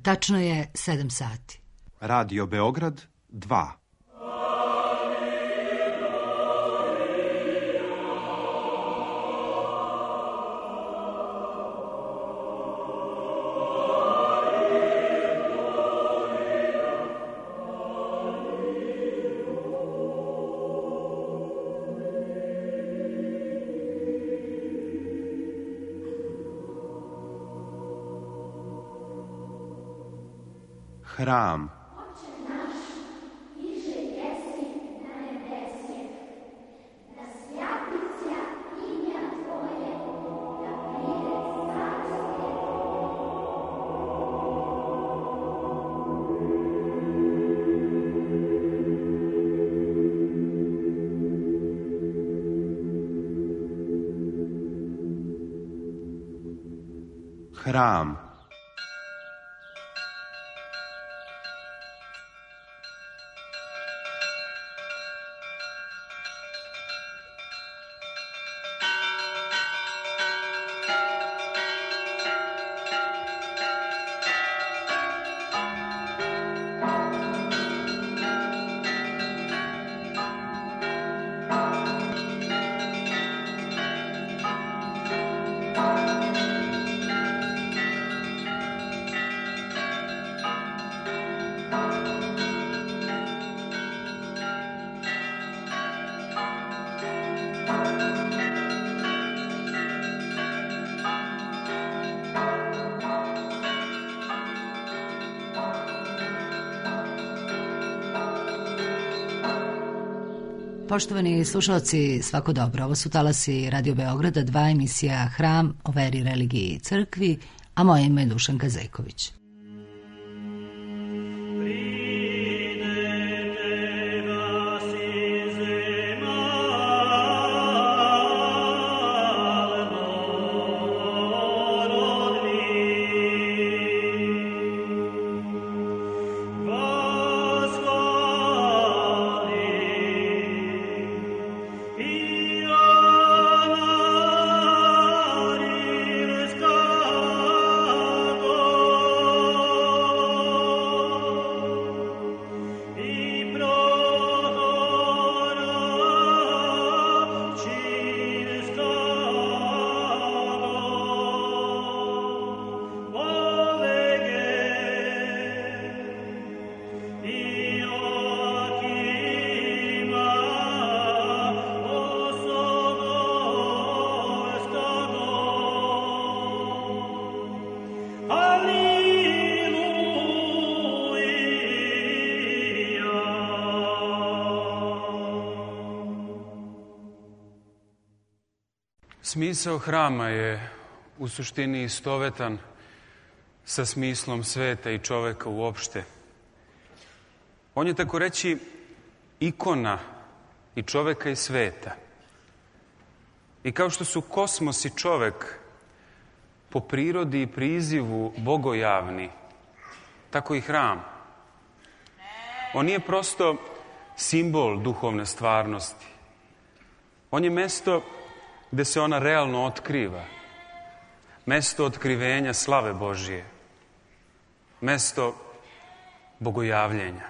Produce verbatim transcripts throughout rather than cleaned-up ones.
Tačno je sedam sati. Radio Beograd dva. Hram. Hram. Poštovani slušalci, svako dobro. Ovo su talasi Radio Beograda, dva, emisija Hram o veri, religiji i crkvi, a moje ime je Dušanka Zejković. Smisao hrama je u suštini istovetan sa smislom sveta i čoveka uopšte. On je, tako reći, ikona i čoveka i sveta. I kao što su kosmos i čovek po prirodi i prizivu bogojavni, tako i hram. On nije prosto simbol duhovne stvarnosti. On je mesto gde se ona realno otkriva. Mesto otkrivenja slave Božije. Mesto bogojavljenja.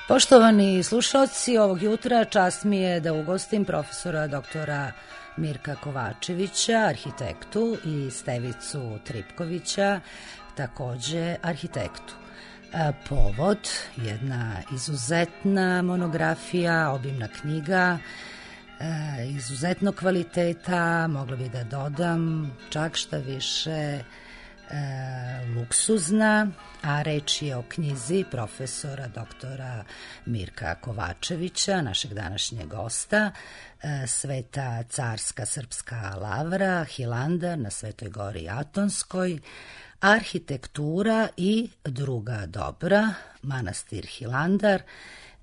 Poštovani slušalci, ovog jutra čast mi je da ugostim profesora doktora Mirka Kovačevića, arhitektu, i Stevicu Tripkovića, takođe arhitektu. Povod, jedna izuzetna monografija, obimna knjiga, izuzetnog kvaliteta, mogla bi da dodam čak šta više luksuzna, a reč je o knjizi profesora doktora Mirka Kovačevića, našeg današnjeg gosta, Sveta carska srpska lavra, Hilandar na Svetoj gori Atonskoj, arhitektura i druga dobra, manastir Hilandar.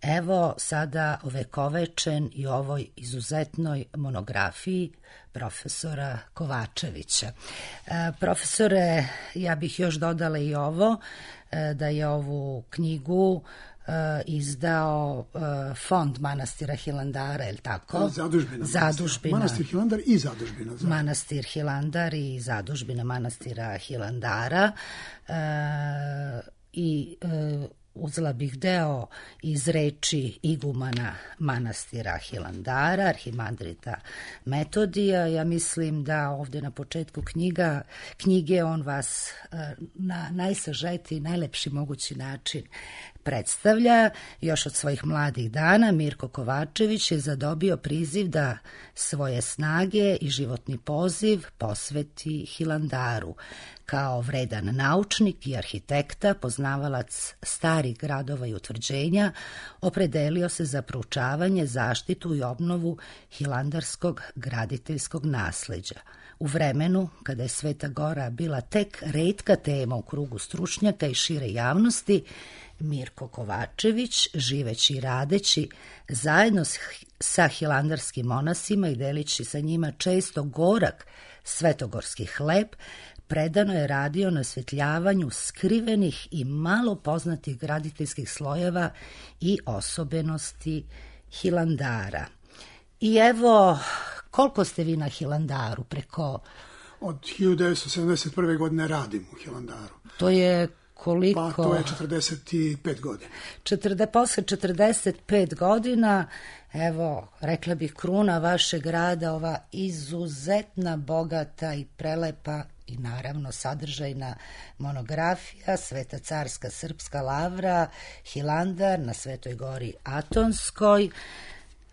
Evo sada ovekovečen i ovoj izuzetnoj monografiji profesora Kovačevića. E, profesore, ja bih još dodala i ovo, e, da je ovu knjigu izdao fond manastira Hilandara, je li tako? Zadužbina. Zadužbina. Manastir Hilandar i zadužbina. Za... Manastir Hilandar i zadužbina manastira Hilandara. E, I e, uzela bih deo iz reči igumana manastira Hilandara, arhimandrita Metodija. Ja mislim da ovdje na početku knjiga, knjige on vas na najsažetiji, najlepši mogući način predstavlja. Još od svojih mladih dana Mirko Kovačević je zadobio priziv da svoje snage i životni poziv posveti Hilandaru. Kao vredan naučnik i arhitekta, poznavalac starih gradova i utvrđenja, opredelio se za proučavanje, zaštitu i obnovu hilandarskog graditeljskog nasleđa. U vremenu kada je Sveta Gora bila tek retka tema u krugu stručnjaka i šire javnosti, Mirko Kovačević, živeći i radeći zajedno sa hilandarskim monasima i delići sa njima često gorak svetogorski hleb, predano je radio na osvetljavanju skrivenih i malo poznatih graditeljskih slojeva i osobenosti Hilandara. I evo, koliko ste vi na Hilandaru preko... Od hiljadu devetsto sedamdeset prve. godine radim u Hilandaru. To je koliko? Pa to je četrdeset pet godina. Četrde, posle četrdeset pet godina, evo, rekla bih kruna vašeg grada, ova izuzetna, bogata i prelepa i naravno sadržajna monografija Sveta carska srpska lavra Hilandar na Svetoj gori Atonskoj.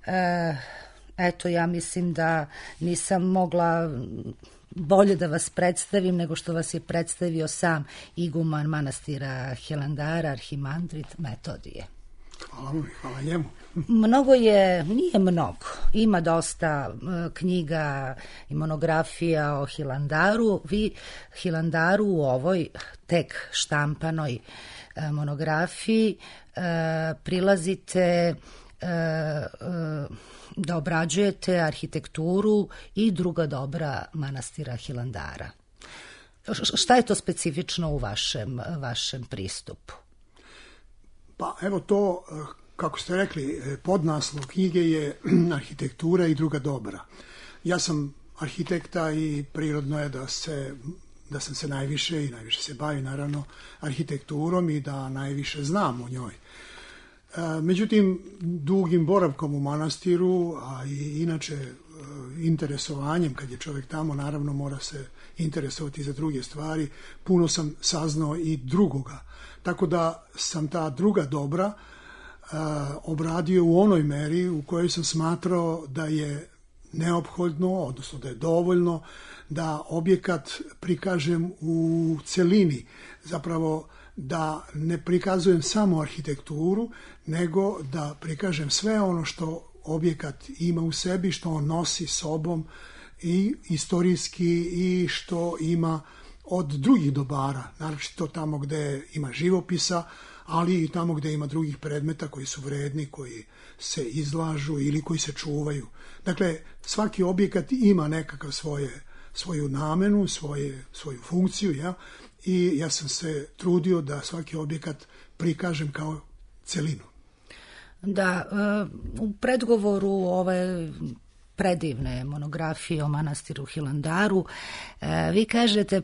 E, eto, ja mislim da nisam mogla bolje da vas predstavim nego što vas je predstavio sam iguman manastira Hilandara, arhimandrit Metodije. Hvala mu, hvala njemu. Mnogo je, nije mnogo, ima dosta uh, knjiga i monografija o Hilandaru. Vi Hilandaru u ovoj tek štampanoj uh, monografiji uh, prilazite uh, uh, da obrađujete arhitekturu i druga dobra manastira Hilandara. Š- šta je to specifično u vašem, vašem pristupu? Pa evo to, kako ste rekli, podnaslov knjige je arhitektura i druga dobra. Ja sam arhitekta i prirodno je da se da sam se najviše i najviše se bavim naravno arhitekturom i da najviše znam o njoj. Međutim, dugim boravkom u manastiru, a i inače interesovanjem, kad je čovjek tamo, naravno mora se interesovati za druge stvari, puno sam saznao i drugoga. Tako da sam ta druga dobra uh, obradio u onoj meri u kojoj sam smatrao da je neophodno, odnosno da je dovoljno da objekat prikažem u celini, zapravo da ne prikazujem samo arhitekturu, nego da prikažem sve ono što objekat ima u sebi, što on nosi sobom i istorijski i što ima od drugih dobara, naročito tamo gde ima živopisa, ali i tamo gde ima drugih predmeta koji su vredni, koji se izlažu ili koji se čuvaju. Dakle, svaki objekat ima nekakav svoje, svoju namenu, svoje, svoju funkciju, ja? I ja sam se trudio da svaki objekat prikažem kao celinu. Da, u predgovoru ove predivne monografije o manastiru Hilandaru, vi kažete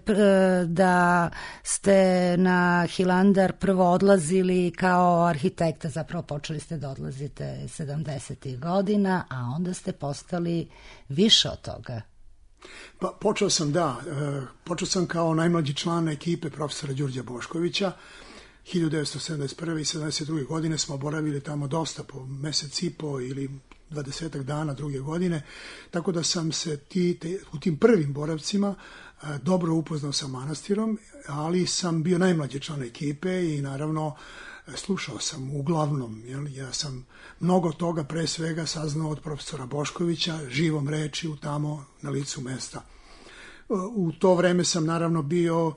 da ste na Hilandar prvo odlazili kao arhitekta, zapravo počeli ste da odlazite sedamdesetih godina, a onda ste postali više od toga. Pa počeo sam, da, počeo sam kao najmlađi član ekipe profesora Đurđa Boškovića. hiljadu devetsto sedamdeset prve. i sedamdeset druge. godine smo boravili tamo dosta, po mesec i po ili dvadesetak dana druge godine, tako da sam se ti, te, u tim prvim boravcima a, dobro upoznao sa manastirom, ali sam bio najmlađi član ekipe i naravno slušao sam uglavnom, jel, ja sam mnogo toga pre svega saznao od profesora Boškovića, živom rečju tamo na licu mesta. U to vreme sam naravno bio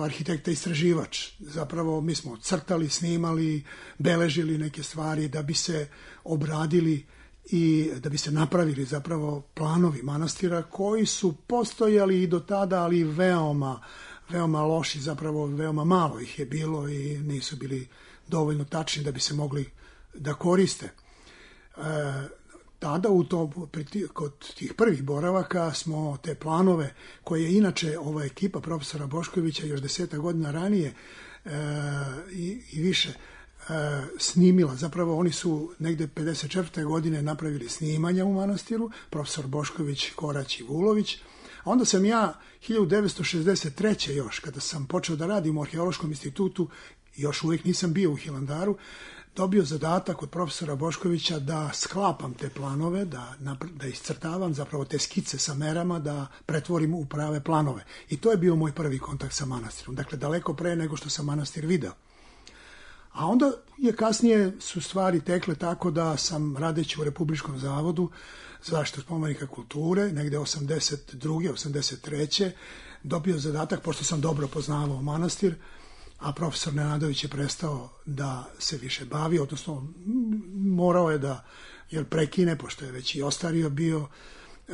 arhitekta istraživač. Zapravo mi smo crtali, snimali, beležili neke stvari da bi se obradili i da bi se napravili zapravo planovi manastira koji su postojali i do tada, ali veoma, veoma loši, zapravo veoma malo ih je bilo i nisu bili dovoljno tačni da bi se mogli da koriste. E, tada u to, kod tih prvih boravaka smo te planove koje je inače ova ekipa profesora Boškovića još deseta godina ranije e, i, i više e, snimila. Zapravo oni su negde pedeset četvrte godine napravili snimanja u manastiru, profesor Bošković, Korać i Vulović. A onda sam ja hiljadu devetsto šezdeset treće još, kada sam počeo da radim u Arheološkom institutu, još uvijek nisam bio u Hilandaru, dobio zadatak od profesora Boškovića da sklapam te planove, da, da iscrtavam zapravo te skice sa merama, da pretvorim u prave planove. I to je bio moj prvi kontakt sa manastirom. Dakle, daleko pre nego što sam manastir video. A onda je kasnije su stvari tekle tako da sam radeći u Republičkom zavodu za zaštitu spomenika kulture, negde osamdeset druge osamdeset treće dobio zadatak, pošto sam dobro poznavao manastir, a profesor Nenadović je prestao da se više bavi, odnosno morao je da jer prekine, pošto je već i ostario bio, e,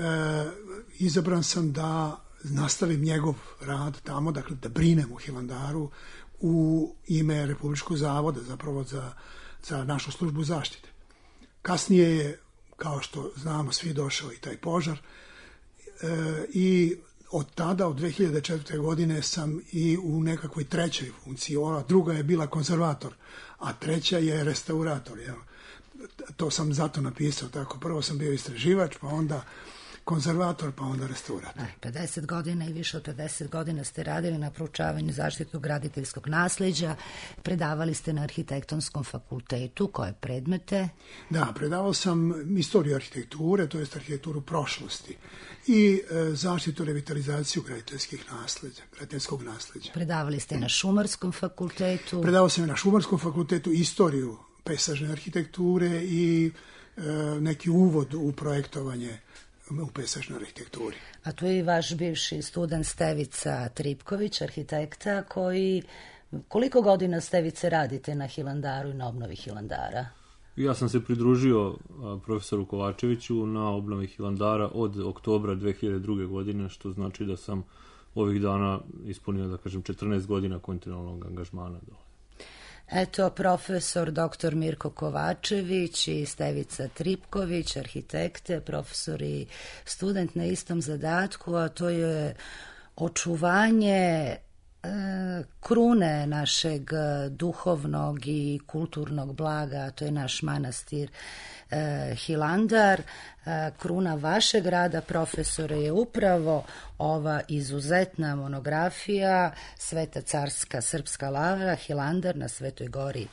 izabran sam da nastavim njegov rad tamo, dakle da brinem u Hilandaru u ime Republičkog zavoda, zapravo za, za našu službu zaštite. Kasnije je, kao što znamo, svi došao i taj požar e, i od tada, od dve hiljade četvrte. godine sam i u nekakvoj trećoj funkciji. Ova druga je bila konzervator, a treća je restaurator. Jel? To sam zato napisao tako. Prvo sam bio istraživač, pa onda konzervator, pa onda restaurator. pedeset godina i više od pedeset godina ste radili na proučavanju zaštitu graditeljskog nasleđa, predavali ste na Arhitektonskom fakultetu, koje predmete? Da, predavao sam istoriju arhitekture, to jest arhitekturu prošlosti i e, zaštitu, revitalizaciju graditeljskih nasleđa, graditeljskog nasleđa. Predavali ste na Šumarskom fakultetu? Predavao sam na Šumarskom fakultetu istoriju pejsažne arhitekture i e, neki uvod u projektovanje u pejsažnoj arhitekturi. A tu je i vaš bivši student Stevica Tripković, arhitekta, koji... Koliko godina, Stevice, radite na Hilandaru i na obnovi Hilandara? Ja sam se pridružio profesoru Kovačeviću na obnovi Hilandara od oktobra dve hiljade druge. godine, što znači da sam ovih dana ispunio, da kažem, četrnaest godina kontinualnog angažmana dole. Eto, profesor doktor Mirko Kovačević i Stevica Tripković, arhitekte, profesor i student na istom zadatku, a to je očuvanje krune našeg duhovnog i kulturnog blaga, to je naš manastir Hilandar. Kruna vašeg rada, profesore, je upravo ova izuzetna monografija Sveta carska srpska lavra Hilandar na Svetoj gori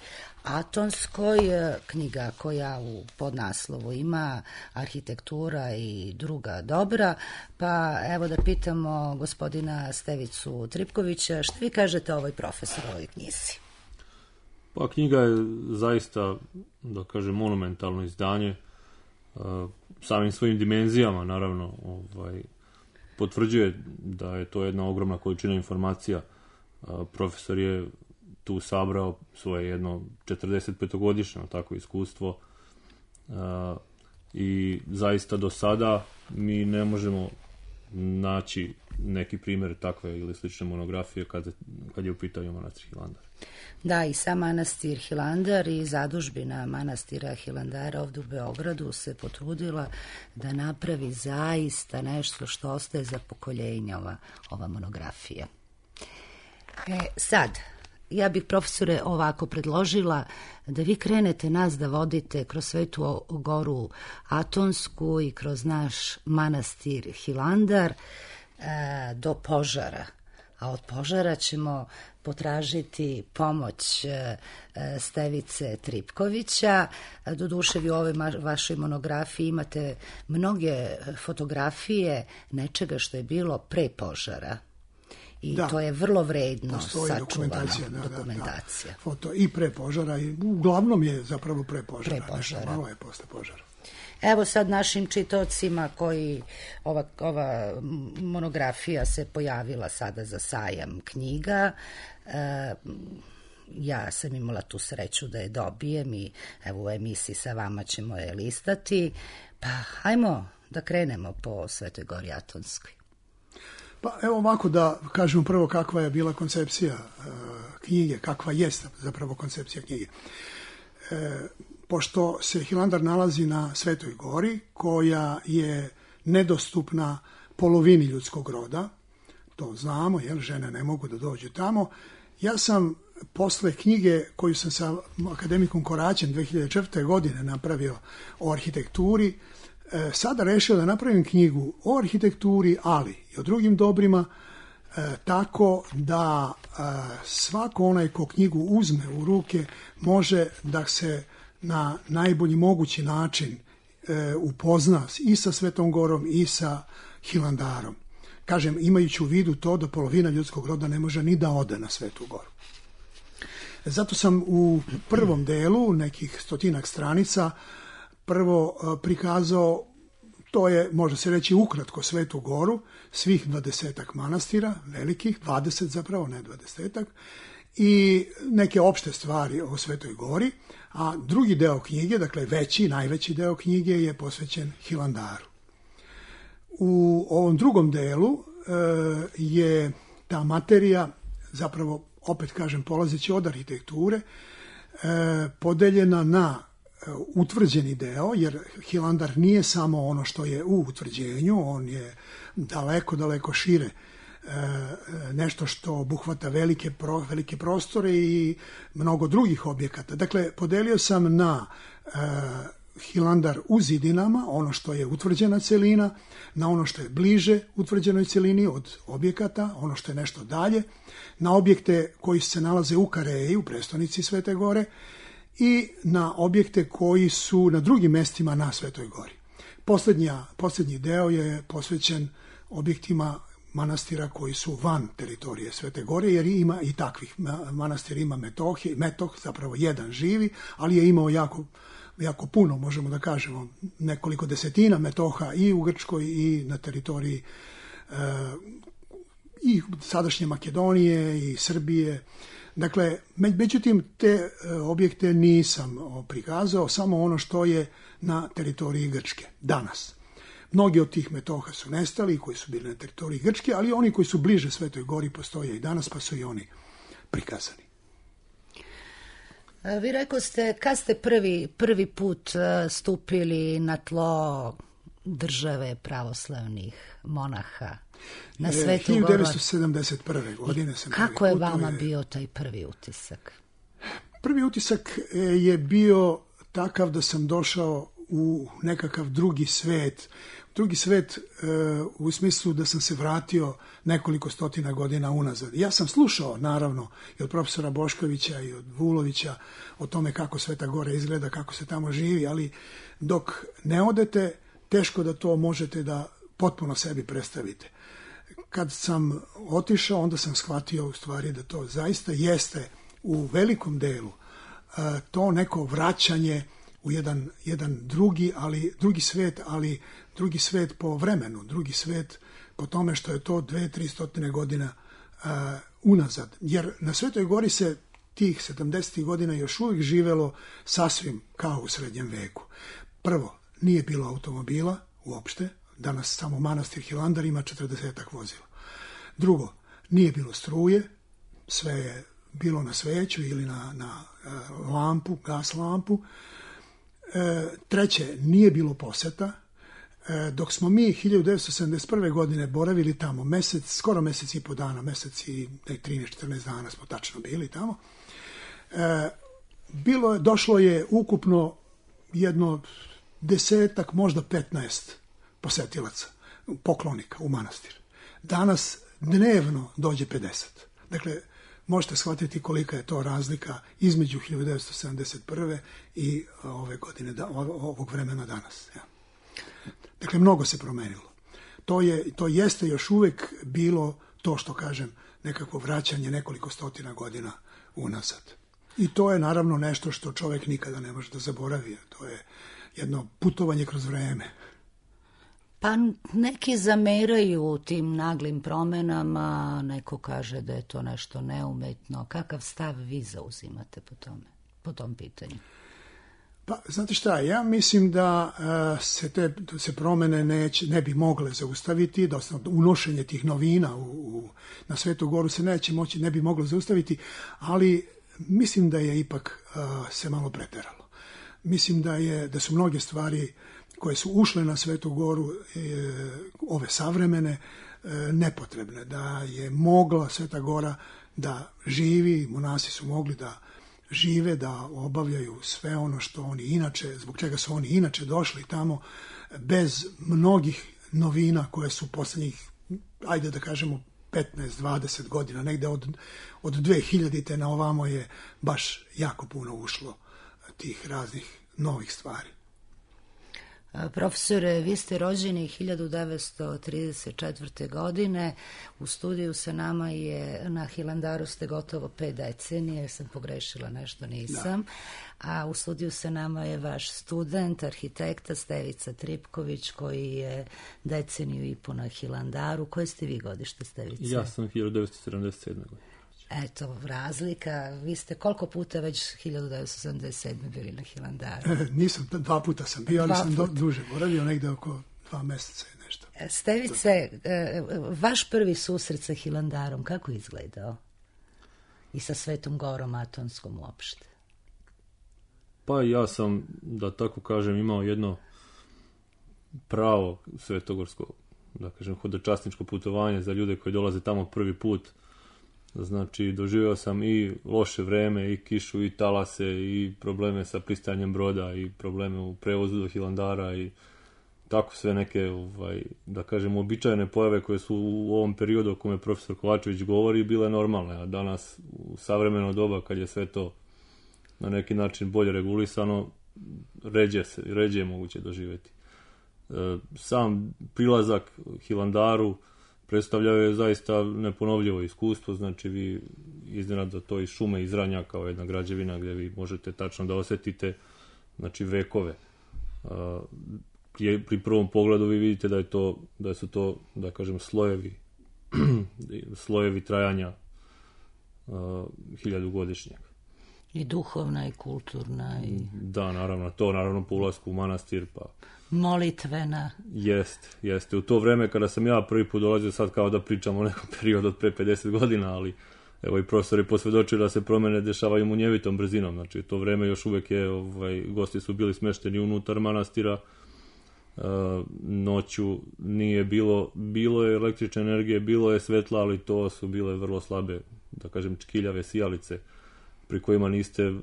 Atonskoj, knjiga koja u podnaslovu ima arhitektura i druga dobra. Pa evo da pitamo gospodina Stevicu Tripkovića, što vi kažete o ovoj profesorovoj knjizi? Pa knjiga je zaista, da kažem, monumentalno izdanje, samim svojim dimenzijama, naravno, ovaj, potvrđuje da je to jedna ogromna količina informacija. Profesor je tu sabrao svoje jedno četrdesetpetogodišnje tako iskustvo i zaista do sada mi ne možemo naći neki primjer takve ili slične monografije kad, kad je u pitanju manastir Hilandar. Da, i sam manastir Hilandar i zadužbina manastira Hilandara ovdje u Beogradu se potrudila da napravi zaista nešto što ostaje za pokoljenja ova, ova monografija. E, sad, ja bih, profesore, ovako predložila da vi krenete nas da vodite kroz Svetu goru Atonsku i kroz naš manastir Hilandar e, do požara. A od požara ćemo potražiti pomoć e, Stevice Tripkovića. Doduše, vi u ovoj vašoj monografiji imate mnoge fotografije nečega što je bilo pre požara. I da, to je vrlo vredno sačuvana dokumentacija. Da, dokumentacija. Da, da. Foto i pre požara, i uglavnom je zapravo pre požara. Pre požara. Malo je posle požara. Evo sad našim čitocima koji ova, ova monografija se pojavila sada za sajam knjiga. E, ja sam imala tu sreću da je dobijem i evo u emisiji sa vama ćemo je listati. Pa hajmo da krenemo po Svetoj gori Atonskoj. Pa evo ovako da kažemo prvo kakva je bila koncepcija e, knjige, kakva jest zapravo koncepcija knjige. E, pošto se Hilandar nalazi na Svetoj gori, koja je nedostupna polovini ljudskog roda, to znamo, jer žene ne mogu da dođu tamo, ja sam posle knjige koju sam sa akademikom Koraćem dve hiljade četvrte. godine napravio o arhitekturi, e, sada rešio da napravim knjigu o arhitekturi, ali i o drugim dobrima, e, tako da e, svako onaj ko knjigu uzme u ruke može da se na najbolji mogući način e, upozna i sa Svetom gorom i sa Hilandarom. Kažem, imajući u vidu to da polovina ljudskog roda ne može ni da ode na Svetu goru. Zato sam u prvom delu, nekih stotinak stranica, prvo prikazao, to je, može se reći, ukratko Svetu goru, svih dvadesetak manastira, velikih, dvadeset zapravo, ne dvadesetak, i neke opšte stvari o Svetoj gori, a drugi deo knjige, dakle veći, najveći deo knjige je posvećen Hilandaru. U ovom drugom delu e, je ta materija, zapravo, opet kažem, polazeći od arhitekture, e, podeljena na e, utvrđeni deo, jer Hilandar nije samo ono što je u utvrđenju, on je daleko, daleko šire, e, nešto što obuhvata velike, pro, velike prostore i mnogo drugih objekata. Dakle, podelio sam na e, Hilandar u zidinama, ono što je utvrđena celina, na ono što je bliže utvrđenoj celini od objekata, ono što je nešto dalje, na objekte koji se nalaze u Kareji, u prestonici Svete gore, i na objekte koji su na drugim mestima na Svetoj gori. Poslednja, poslednji deo je posvećen objektima manastira koji su van teritorije Svete gore, jer ima i takvih manastira, ima Metoh, Metoh, zapravo jedan živi, ali je imao jako jako puno, možemo da kažemo, nekoliko desetina metoha i u Grčkoj i na teritoriji e, i sadašnje Makedonije i Srbije. Dakle, međutim, te e, objekte nisam prikazao, samo ono što je na teritoriji Grčke danas. Mnogi od tih metoha su nestali, koji su bili na teritoriji Grčke, ali oni koji su bliže Svetoj gori postoje i danas, pa su i oni prikazani. Vi rekao ste, kad ste prvi, prvi put stupili na tlo države pravoslavnih monaha na Svetu goru? hiljadu devetsto sedamdeset prve. godine sam kako je vama je... bio taj prvi utisak? Prvi utisak je bio takav da sam došao u nekakav drugi svet, drugi svet e, u smislu da sam se vratio nekoliko stotina godina unazad. Ja sam slušao, naravno, i od profesora Boškovića i od Vulovića o tome kako Sveta gora izgleda, kako se tamo živi, ali dok ne odete, teško da to možete da potpuno sebi predstavite. Kad sam otišao, onda sam shvatio u stvari da to zaista jeste u velikom delu e, to neko vraćanje u jedan, jedan drugi, ali, drugi svet, ali drugi svet po vremenu, drugi svet po tome što je to dve, tri stotine godina uh, unazad. Jer na Svetoj gori se tih sedamdesetih godina još uvijek živelo sasvim kao u srednjem veku. Prvo, nije bilo automobila uopšte, danas samo manastir Hilandar ima četrdesetak vozila. Drugo, nije bilo struje, sve je bilo na sveću ili na, na uh, lampu, gas lampu. E, treće, nije bilo poseta. E, dok smo mi hiljadu devetsto sedamdeset prve. godine boravili tamo mesec, skoro mesec i po dana, mesec i trinaest četrnaest dana smo tačno bili tamo, e, bilo je, došlo je ukupno jedno desetak, možda petnaest posetilaca, poklonika u manastir. Danas dnevno dođe pedeset. Dakle, možete shvatiti kolika je to razlika između hiljadu devetsto sedamdeset prve. i ove godine, ovog vremena danas. Ja. Dakle, mnogo se promenilo. To, je, to jeste još uvek bilo to što kažem, nekako vraćanje nekoliko stotina godina unazad. I to je naravno nešto što čovek nikada ne može da zaboravi. To je jedno putovanje kroz vreme. Pa neki zameraju tim naglim promenama, neko kaže da je to nešto neumetno. Kakav stav vi zauzimate po tome, po tom pitanju? Pa, znate šta, ja mislim da uh, se te se promene neće, ne bi mogle zaustaviti, odnosno unošenje tih novina u, u, na Svetu Goru se neće moći, ne bi moglo zaustaviti, ali mislim da je ipak uh, se malo preteralo. Mislim da je da su mnoge stvari koje su ušle na Svetu Goru, e, ove savremene, e, nepotrebne, da je mogla Sveta Gora da živi, monasi su mogli da žive, da obavljaju sve ono što oni inače, zbog čega su oni inače došli tamo, bez mnogih novina koje su poslednjih, ajde da kažemo, petnaest dvadeset godina, negde od, od dve hiljadite na ovamo je baš jako puno ušlo tih raznih novih stvari. Profesore, vi ste rođeni hiljadu devetsto trideset četvrte. godine, u studiju sa nama je, na Hilandaru ste gotovo pet decenije, sam pogrešila nešto, nisam, da. A u studiju sa nama je vaš student, arhitekta Stevica Tripković, koji je deceniju i po na Hilandaru. Koje ste vi godište, Stevice? Ja sam hiljadu devetsto sedamdeset sedme. godine. Eto, razlika. Vi ste koliko puta već hiljadu devetsto sedamdeset sedme. bili na Hilandaru? E, nisam, dva puta sam bio, ali dva sam do, duže boravio, negde oko dva meseca i nešto. Stevice, vaš prvi susret sa Hilandarom, kako je izgledao? I sa Svetom Gorom Atonskom uopšte? Pa ja sam, da tako kažem, imao jedno pravo svetogorsko, da kažem, hodočasničko putovanje za ljude koji dolaze tamo prvi put. Znači, doživio sam i loše vreme, i kišu, i talase, i probleme sa pristajanjem broda, i probleme u prevozu do Hilandara, i tako sve neke, ovaj, da kažem, uobičajene pojave koje su u ovom periodu o kome profesor Kovačević govori bile normalne, a danas u savremeno doba, kad je sve to na neki način bolje regulisano, ređe se, ređe je moguće doživjeti. E, sam prilazak Hilandaru predstavljao je zaista neponovljivo iskustvo, znači vi iznenada to iz šume izranja kao jedna građevina gdje vi možete tačno da osjetite, znači, vekove. A, pri prvom pogledu vi vidite da je to, da su to, da kažem, slojevi slojevi trajanja a, hiljadugodišnjeg. I duhovna i kulturna. I... Da, naravno, to naravno po ulasku u manastir, pa molitvena. Jeste, jeste. U to vreme kada sam ja prvi put dolazio, sad kao da pričam o nekom periodu od pre pedeset godina, ali evo i profesori posvjedočili da se promene dešavaju munjevitom brzinom. Znači, u to vreme još uvek je, ovaj, gosti su bili smešteni unutar manastira, e, noću nije bilo, bilo je električne energije, bilo je svetla, ali to su bile vrlo slabe, da kažem, čkiljave sijalice, pri kojima niste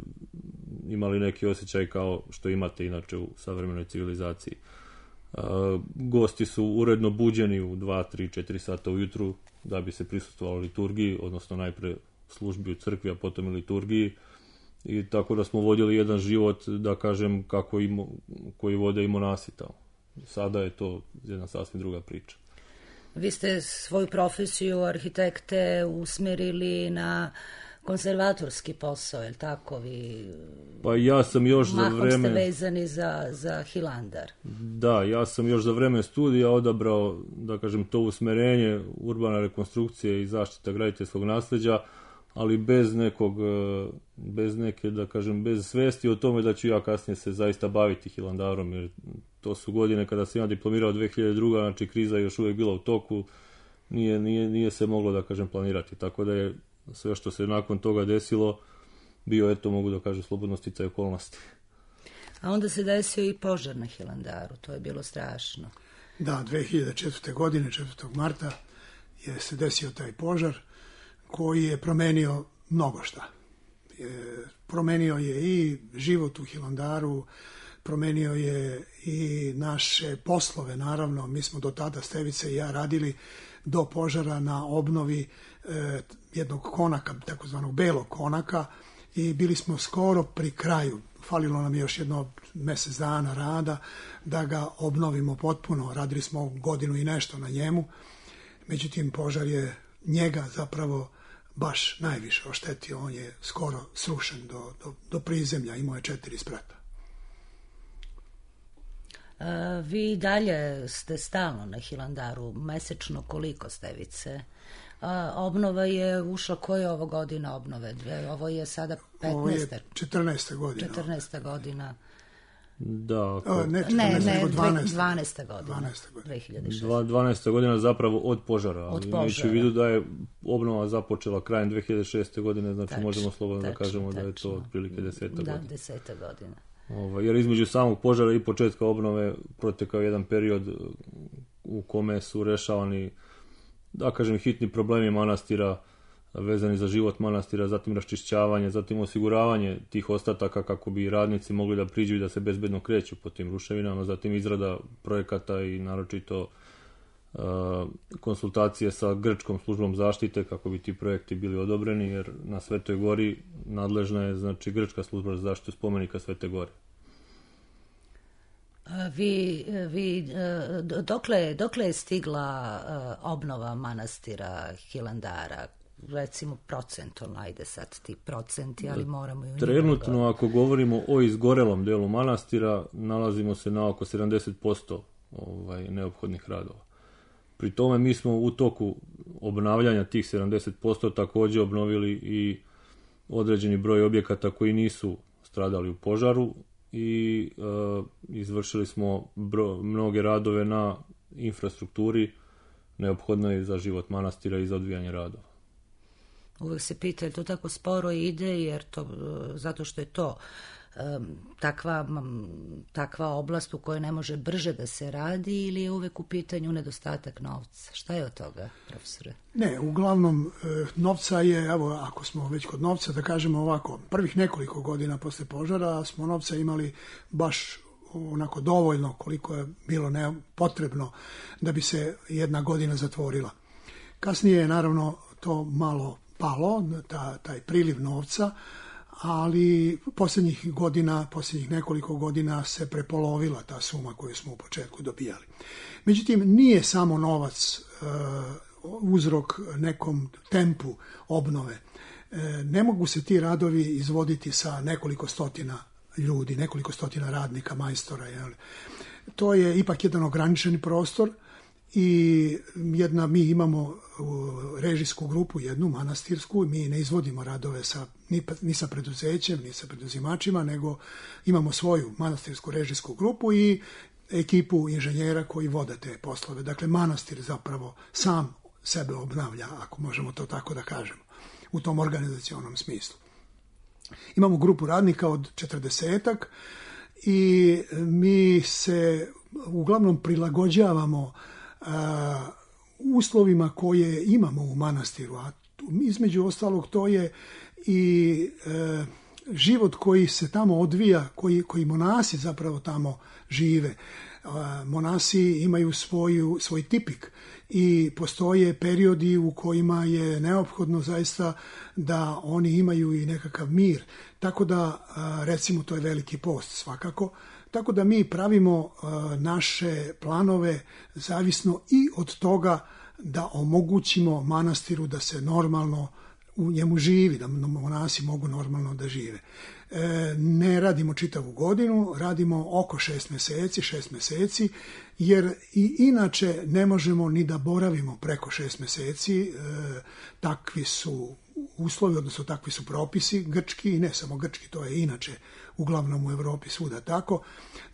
imali neki osjećaj kao što imate inače u savremenoj civilizaciji. E, gosti su uredno buđeni u dva, tri, četiri sata ujutru da bi se prisustvovalo liturgiji, odnosno najpre službi u crkvi, a potom i liturgiji. I tako da smo vodili jedan život, da kažem, kako i, koji vode i monasi tamo. Sada je to jedna sasvim druga priča. Vi ste svoju profesiju arhitekte usmerili na konzervatorski posao, je li tako? Vi pa ja sam još za vreme... Mahom ste vezani za, za Hilandar. Da, ja sam još za vreme studija odabrao, da kažem, to usmerenje, urbana rekonstrukcija i zaštita graditeljskog nasleđa, ali bez nekog, bez neke, da kažem, bez svesti o tome da ću ja kasnije se zaista baviti Hilandarom, jer to su godine kada sam ja diplomirao dve hiljade druge. znači kriza je još uvijek bila u toku, nije, nije, nije se moglo, da kažem, planirati, tako da je sve što se nakon toga desilo bio, eto, mogu da kažem, slobodno sticaj okolnosti. A onda se desio i požar na Hilandaru, to je bilo strašno. Da, dve hiljade četvrte. godine, četvrtog marta, je se desio taj požar koji je promenio mnogo šta. Je, promenio je i život u Hilandaru, promenio je i naše poslove, naravno. Mi smo do tada, Stevica i ja, radili do požara na obnovi e, jednog konaka, takozvanog belog konaka, i bili smo skoro pri kraju. Falilo nam je još jedno mjesec dana rada da ga obnovimo potpuno. Radili smo godinu i nešto na njemu. Međutim, požar je njega zapravo baš najviše oštetio. On je skoro srušen do, do, do prizemlja. Imao je četiri sprata. A, vi dalje ste stalno na Hilandaru. Mesečno koliko, Stevice? A, obnova je ušla, koje je ovo godina obnove? Ovo je sada petnaesta. Ovo je četrnaesta godina. četrnaesta godina. Da, ako... A, ne, Ne, četrnaesta, ne, nego dvanaesta. dvanaesta godina. dvanaesta godina. dve hiljade šeste. Dva- dvanaesta godina zapravo od požara, ali Od imajući u požara. vidu da je obnova započela krajem dve hiljade šeste. godine, znači Tačno, možemo slobodno da tačno, kažemo da je to tačno. otprilike deseta Da, godina. deseta godina. Ovaj, jer između samog požara i početka obnove protekao jedan period u kome su rešavani, da kažem, hitni problemi manastira vezani za život manastira, zatim raščišćavanje, zatim osiguravanje tih ostataka kako bi radnici mogli da priđu i da se bezbedno kreću po tim ruševinama, zatim izrada projekata i naročito uh, konsultacije sa grčkom službom zaštite kako bi ti projekti bili odobreni, jer na Svetoj Gori nadležna je, znači, grčka služba za zaštitu spomenika Svete Gore. Vi, vi, dokle, dokle je stigla obnova manastira Hilandara? Recimo procentualno, ajde sad ti procenti, ali moramo i u Trenutno, njima... ako govorimo o izgorelom delu manastira, nalazimo se na oko sedamdeset posto ovaj, neophodnih radova. Pri tome mi smo u toku obnavljanja tih sedamdeset posto takođe obnovili i određeni broj objekata koji nisu stradali u požaru i e, izvršili smo bro, mnoge radove na infrastrukturi neophodnoj za život manastira i za odvijanje radova. Uvek se pita, je to tako sporo ide, jer to, zato što je to um, takva, m, takva oblast u kojoj ne može brže da se radi, ili je uvek u pitanju nedostatak novca? Šta je od toga, profesore? Ne, uglavnom novca je, evo, ako smo već kod novca, da kažemo ovako, prvih nekoliko godina posle požara smo novca imali baš onako dovoljno koliko je bilo ne, potrebno da bi se jedna godina zatvorila. Kasnije je naravno to malo palo, ta, taj priliv novca, ali posljednjih godina, posljednjih nekoliko godina se prepolovila ta suma koju smo u početku dobijali. Međutim, nije samo novac e, uzrok nekom tempu obnove. E, ne mogu se ti radovi izvoditi sa nekoliko stotina ljudi, nekoliko stotina radnika, majstora. Jel? To je ipak jedan ograničeni prostor i jedna, mi imamo režijsku grupu, jednu manastirsku, mi ne izvodimo radove sa, ni, ni sa preduzećem, ni sa preduzimačima, nego imamo svoju manastirsku režijsku grupu i ekipu inženjera koji vode te poslove. Dakle, manastir zapravo sam sebe obnavlja, ako možemo to tako da kažemo, u tom organizacionom smislu. Imamo grupu radnika od četrdesetak i mi se uglavnom prilagođavamo a, uslovima koje imamo u manastiru, a između ostalog to je i e, život koji se tamo odvija, koji, koji monasi zapravo tamo žive. A, monasi imaju svoju, svoj tipik i postoje periodi u kojima je neophodno zaista da oni imaju i nekakav mir. Tako da, recimo, to je veliki post svakako, tako da mi pravimo naše planove zavisno i od toga da omogućimo manastiru da se normalno u njemu živi, da monasi mogu normalno da žive. E, ne radimo čitavu godinu, radimo oko šest meseci, šest meseci, jer i inače ne možemo ni da boravimo preko šest meseci, e, takvi su uslovi, odnosno takvi su propisi grčki, i ne samo grčki, to je inače uglavnom u Evropi svuda tako.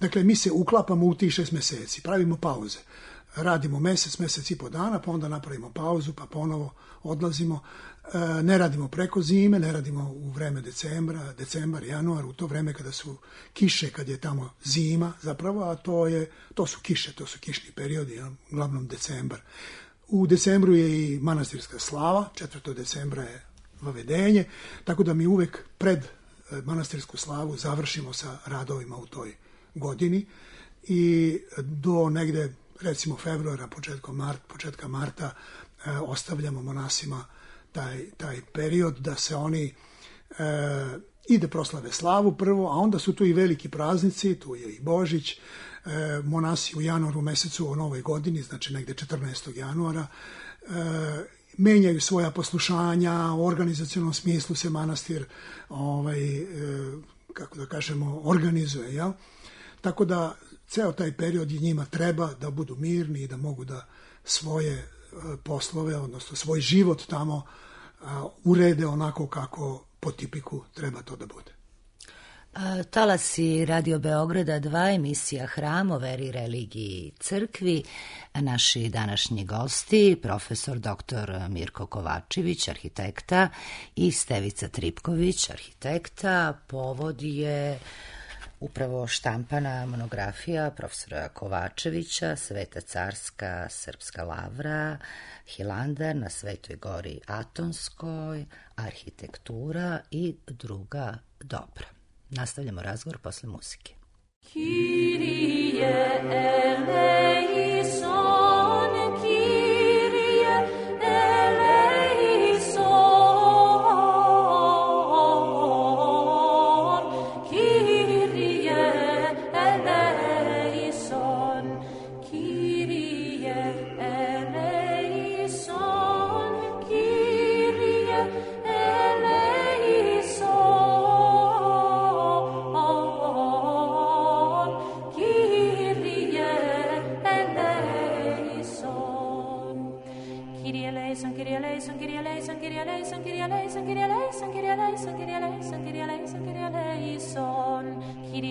Dakle, mi se uklapamo u tih šest meseci, pravimo pauze. Radimo mesec, mesec i po dana, pa onda napravimo pauzu, pa ponovo odlazimo. E, ne radimo preko zime, ne radimo u vreme decembra, decembar, januar, u to vreme kada su kiše, kad je tamo zima zapravo, a to, je, to su kiše, to su kišni periodi, ja, uglavnom decembar. U decembru je i manastirska slava, četvrtog decembra je vavedenje, tako da mi uvek pred manastirsku slavu završimo sa radovima u toj godini i do negde, recimo februara, početkom mart, početka marta, e, ostavljamo monasima taj, taj period da se oni e, ide proslave slavu prvo, a onda su tu i veliki praznici, tu je i Božić, e, monasi u januaru mesecu o novoj godini, znači negde četrnaestog januara, e, menjaju svoja poslušanja, u organizacionom smislu se manastir, ovaj, e, kako da kažemo, organizuje, jel? Tako da ceo taj period i njima treba da budu mirni i da mogu da svoje poslove, odnosno svoj život tamo a, urede onako kako po tipiku treba to da bude. Talasi Radio Beograda dva, emisija Hram o veri, religiji i crkvi. Naši današnji gosti, profesor doktor Mirko Kovačević, arhitekta, i Stevica Tripković, arhitekta. Povod je upravo štampana monografija profesora Kovačevića, Sveta carska srpska lavra, Hilandar na Svetoj gori Atonskoj, arhitektura i druga dobra. Nastavljamo razgovor posle muzike. Kyrie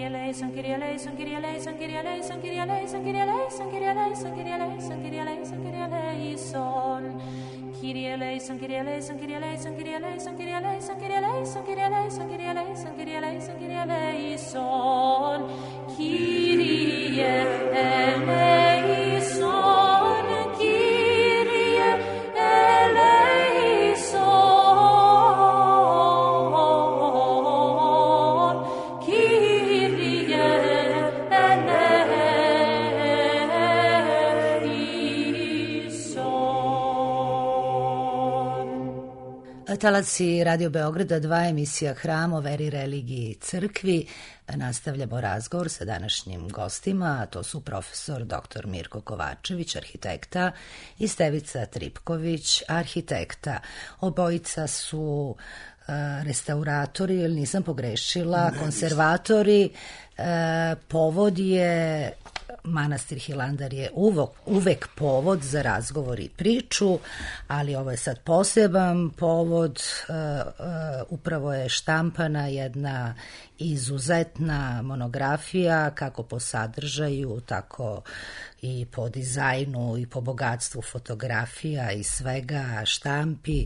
eleison, Kyrie eleison, Kyrie eleison, Kyrie eleison, Kyrie Talasi Radio Beograda dva, emisija Hram o veri, religiji i crkvi. Nastavljamo razgovor sa današnjim gostima, a to su profesor doktor Mirko Kovačević, arhitekta, i Stevica Tripković, arhitekta. Obojica su uh, restauratori, ili nisam pogrešila, ne, konzervatori. Uh, povod je manastir Hilandar je uvek, uvek povod za razgovor i priču, ali ovo je sad poseban povod. Uh, uh, upravo je štampana jedna izuzetna monografija, kako po sadržaju, tako i po dizajnu i po bogatstvu fotografija i svega štampi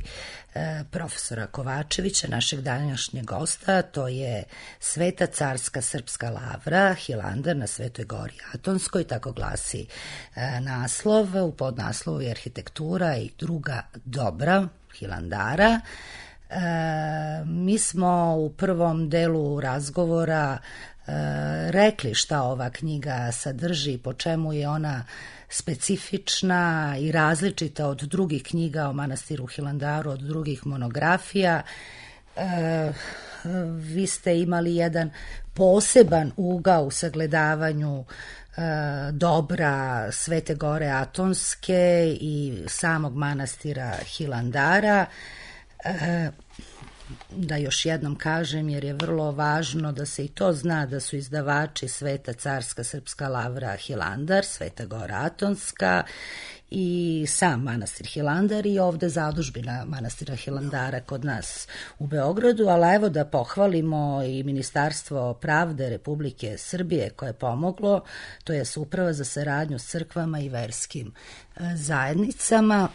e, profesora Kovačevića, našeg današnjeg gosta. To je Sveta carska srpska lavra, Hilandar na Svetoj gori Atonskoj, tako glasi e, naslov. U podnaslovu je arhitektura i druga dobra Hilandara. E, mi smo u prvom delu razgovora e, rekli šta ova knjiga sadrži, po čemu je ona specifična i različita od drugih knjiga o manastiru Hilandaru, od drugih monografija. E, vi ste imali jedan poseban ugao u sagledavanju e, dobra Svete gore Atonske i samog manastira Hilandara. E, da još jednom kažem, jer je vrlo važno da se i to zna, da su izdavači Sveta carska srpska lavra Hilandar, Sveta gora Atonska i sam manastir Hilandar i ovde zadužbina manastira Hilandara kod nas u Beogradu, ali evo da pohvalimo i Ministarstvo pravde Republike Srbije koje je pomoglo, to je Uprava za saradnju s crkvama i verskim zajednicama.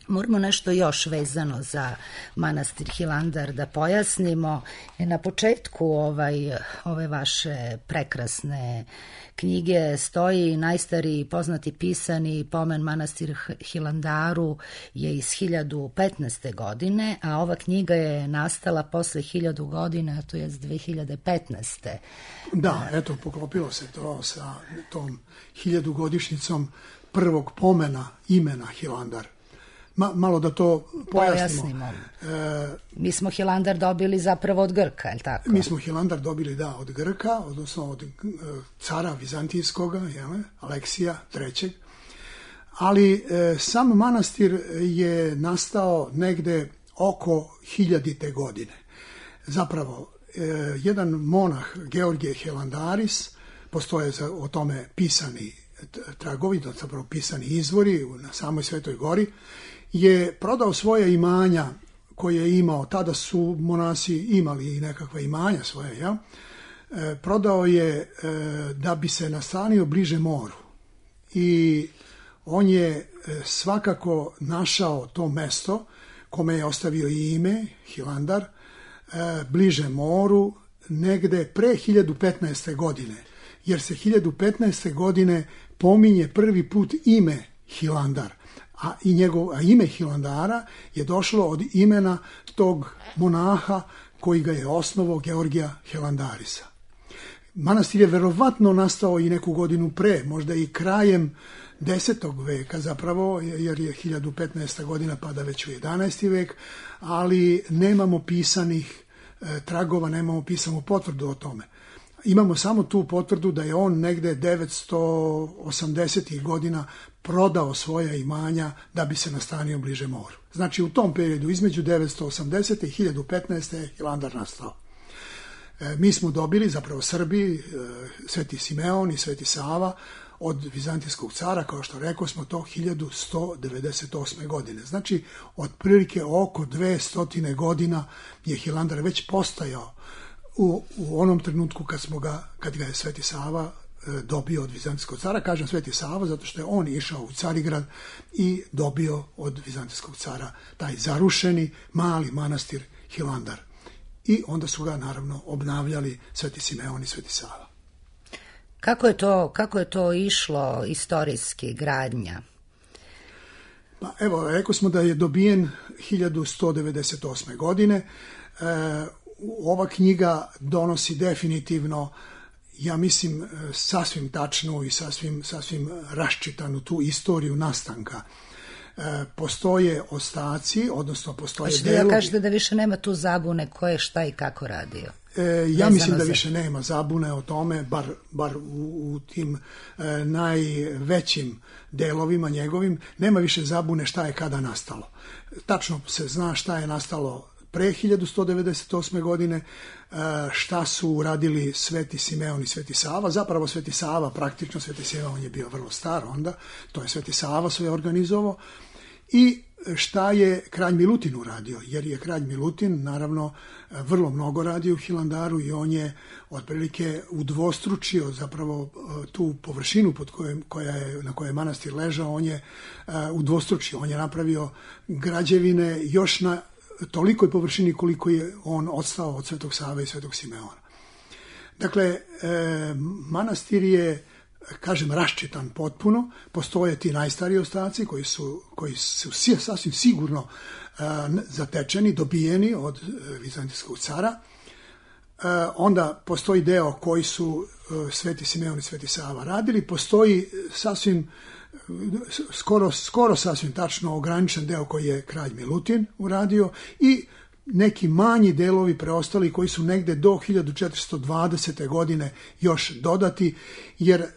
Moramo nešto još vezano za manastir Hilandar da pojasnimo. Na početku ovaj, ove vaše prekrasne knjige stoji najstariji poznati pisani pomen manastir Hilandaru je iz hiljadu petnaeste. godine, a ova knjiga je nastala posle hiljadu godina, to je dve hiljade petnaeste. Da, eto, poklopilo se to sa tom hiljadugodišnjicom prvog pomena imena Hilandar. Ma, malo da to pojasnimo. pojasnimo. E, mi smo Hilandar dobili zapravo od Grka, je li tako? Mi smo Hilandar dobili, da, od Grka, odnosno od cara Vizantijskog, jel, Aleksija trećeg. Ali e, sam manastir je nastao negde oko hiljadite godine. Zapravo, e, jedan monah, Georgije Hilandaris, postoje za, o tome pisani tragovi, zapravo pisani izvori na samoj Svetoj gori, je prodao svoje imanja koje je imao, tada su monasi imali i nekakva imanja svoje, ja? E, prodao je e, da bi se nastanio bliže moru. I on je e, svakako našao to mesto kome je ostavio i ime, Hilandar, e, bliže moru, negde pre hiljadu petnaeste. godine. Jer se hiljadu petnaeste. godine pominje prvi put ime Hilandar. A, i njegov, a ime Hilandara je došlo od imena tog monaha koji ga je osnovao, Georgija Hilandarisa. Manastir je verovatno nastao i neku godinu pre, možda i krajem desetog veka zapravo, jer je hiljadu petnaesta. godina pada već u jedanaesti. vek, ali nemamo pisanih e, tragova, nemamo pisanu potvrdu o tome. Imamo samo tu potvrdu da je on negde devetsto osamdesetih. godina prodao svoja imanja da bi se nastanio bliže moru. Znači u tom periodu između devetsto osamdesete. i hiljadu petnaeste. je Hilandar nastao. E, mi smo dobili, zapravo Srbi, e, Sveti Simeon i Sveti Sava od vizantijskog cara, kao što rekao smo, to hiljadu sto devedeset osme. godine. Znači, otprilike oko dvesta godina je Hilandar već postajao u, u onom trenutku kad, smo ga, kad ga je Sveti Sava e, dobio od vizantijskog cara. Kažem Sveti Sava zato što je on išao u Carigrad i dobio od vizantijskog cara taj zarušeni mali manastir Hilandar. I onda su ga naravno obnavljali Sveti Simeon i Sveti Sava. Kako je to, kako je to išlo istorijski, gradnja? Pa evo, rekao smo da je dobijen hiljadu sto devedeset osme. godine. E, ova knjiga donosi definitivno, ja mislim, sasvim tačnu i sasvim, sasvim raščitanu tu istoriju nastanka. E, postoje ostaci, odnosno postoje Hoćete delovi. da kažete da više nema tu zabune ko je šta i kako radio? E, ja mislim da više nema zabune o tome, bar, bar u, u tim e, najvećim delovima njegovim, nema više zabune šta je kada nastalo. Tačno se zna šta je nastalo pre hiljadu sto devedeset osme. godine, e, šta su uradili Sveti Simeon i Sveti Sava. Zapravo Sveti Sava, praktično Sveti Simeon je bio vrlo star onda, to je Sveti Sava sve organizovao. I šta je kralj Milutin uradio, jer je kralj Milutin naravno vrlo mnogo radio u Hilandaru i on je otprilike udvostručio zapravo tu površinu pod kojom, koja je, na kojoj je manastir ležao, on je uh, udvostručio, on je napravio građevine još na tolikoj površini koliko je on odstao od Svetog Save i Svetog Simeona. Dakle, e, manastir je, kažem, raščitan potpuno, postoje ti najstariji ostaci koji su, koji su sasvim sigurno uh, zatečeni, dobijeni od uh, vizantijskog cara. Uh, onda postoji deo koji su uh, Sveti Simeon i Sveti Sava radili, postoji sasvim, skoro, skoro sasvim tačno ograničen deo koji je kralj Milutin uradio i neki manji delovi preostali koji su negde do hiljadu četiristo dvadesete. godine još dodati, jer e,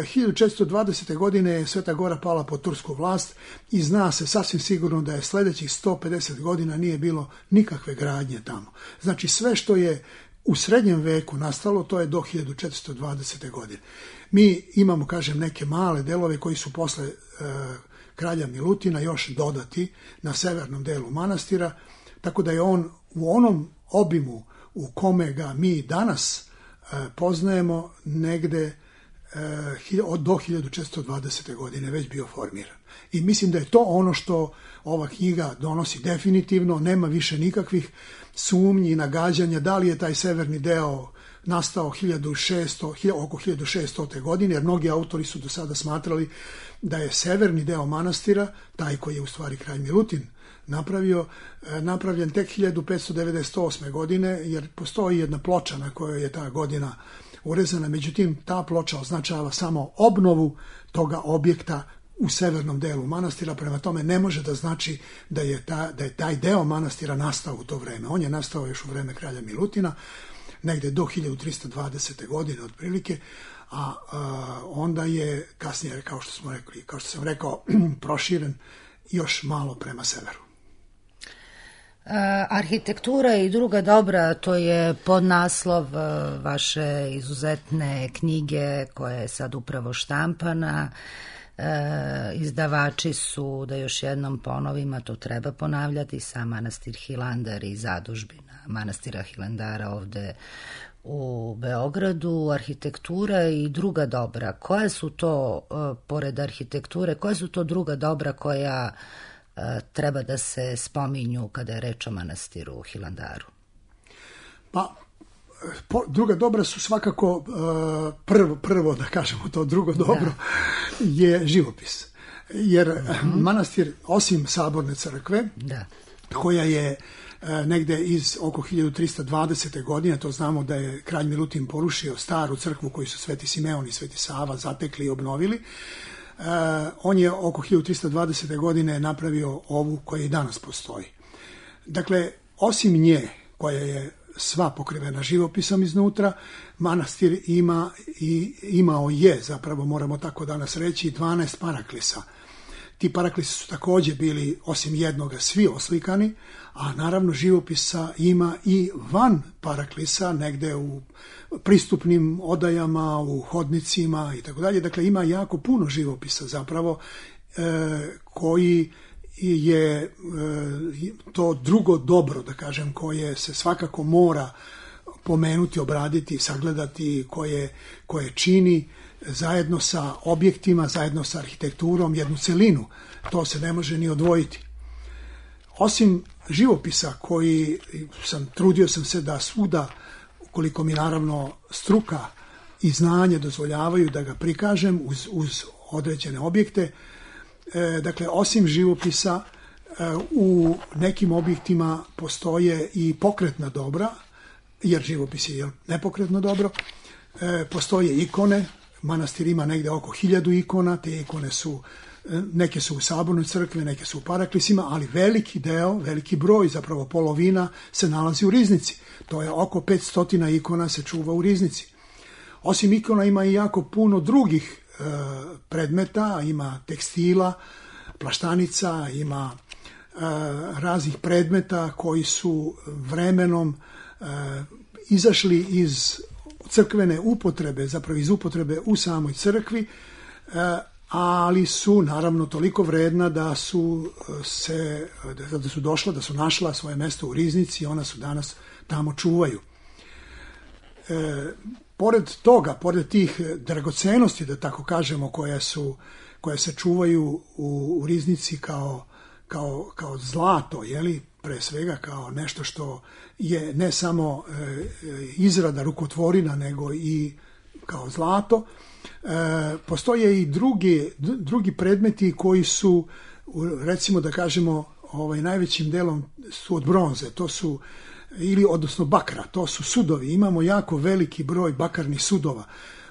hiljadu četiristo dvadesete. godine je Sveta Gora pala pod tursku vlast i zna se sasvim sigurno da je sledećih sto pedeset godina nije bilo nikakve gradnje tamo. Znači sve što je u srednjem veku nastalo, to je do hiljadu četiristo dvadesete. godine. Mi imamo, kažem, neke male delove koji su posle e, kralja Milutina još dodati na severnom delu manastira, tako da je on u onom obimu u kome ga mi danas e, poznajemo negde e, do hiljadu četiristo dvadesete. godine već bio formiran. I mislim da je to ono što ova knjiga donosi definitivno, nema više nikakvih sumnji i nagađanja da li je taj severni deo nastao hiljadu šesto, oko hiljadu šeststote. godine, jer mnogi autori su do sada smatrali da je severni deo manastira, taj koji je u stvari kralj Milutin napravio, napravljen tek hiljadu petsto devedeset osme. godine, jer postoji jedna ploča na kojoj je ta godina urezana, međutim ta ploča označava samo obnovu toga objekta u severnom delu manastira, prema tome ne može da znači da je, ta, da je taj deo manastira nastao u to vreme. On je nastao još u vreme kralja Milutina, negde do hiljadu tristo dvadesete. godine otprilike, a, a onda je kasnije, kao što smo rekli, kao što sam rekao, proširen još malo prema severu. Arhitektura i druga dobra, to je podnaslov vaše izuzetne knjige koja je sad upravo štampana. E, izdavači su, da još jednom ponovim, a to treba ponavljati, sam manastir Hilandar i zadužbina manastira Hilandara ovde u Beogradu, arhitektura i druga dobra. Koja su to, e, pored arhitekture, koja su to druga dobra koja e, treba da se spominju kada je reč o manastiru Hilandaru? Pa, po, druga dobra su svakako uh, prvo, prvo, da kažemo to drugo dobro, da. je živopis. Jer mm-hmm. manastir, osim saborne crkve, da. koja je uh, negde iz oko hiljadu trista dvadesete. godine, to znamo da je kralj Milutin porušio staru crkvu koju su Sveti Simeon i Sveti Sava zatekli i obnovili. Uh, on je oko hiljadu trista dvadesete. godine napravio ovu koja i danas postoji. Dakle, osim nje, koja je sva pokrivena živopisom iznutra, manastir ima i imao je, zapravo moramo tako danas reći, dvanaest paraklisa. Ti paraklisi su takođe bili, osim jednoga, svi oslikani, a naravno živopisa ima i van paraklisa, negde u pristupnim odajama, u hodnicima i tako dalje. Dakle, ima jako puno živopisa zapravo e, koji je to drugo dobro, da kažem, koje se svakako mora pomenuti, obraditi, sagledati, koje, koje čini zajedno sa objektima, zajedno sa arhitekturom jednu celinu. To se ne može ni odvojiti. Osim živopisa koji sam, trudio sam se da svuda, koliko mi naravno struka i znanje dozvoljavaju da ga prikažem uz, uz određene objekte, dakle, osim živopisa, u nekim objektima postoje i pokretna dobra, jer živopis je nepokretno dobro. Postoje ikone, manastir ima negde oko hiljadu ikona, te ikone su, neke su u sabornoj crkvi, neke su u paraklisima, ali veliki deo, veliki broj, zapravo polovina, se nalazi u riznici. To je oko petsto ikona se čuva u riznici. Osim ikona ima i jako puno drugih predmeta, ima tekstila, plaštanica, ima e, raznih predmeta koji su vremenom e, izašli iz crkvene upotrebe, zapravo iz upotrebe u samoj crkvi, e, ali su naravno toliko vredna da su se da su došla, da su našla svoje mesto u riznici i ona su danas tamo čuvaju. E, Pored toga, pored tih dragocenosti, da tako kažemo, koje su, koje se čuvaju u, u riznici kao, kao, kao zlato, jeli, pre svega kao nešto što je ne samo e, izrada rukotvorina, nego i kao zlato, e, postoje i drugi, drugi predmeti koji su, recimo da kažemo, ovaj, najvećim delom su od bronze, to su ili odnosno bakra, to su sudovi. Imamo jako veliki broj bakarnih sudova.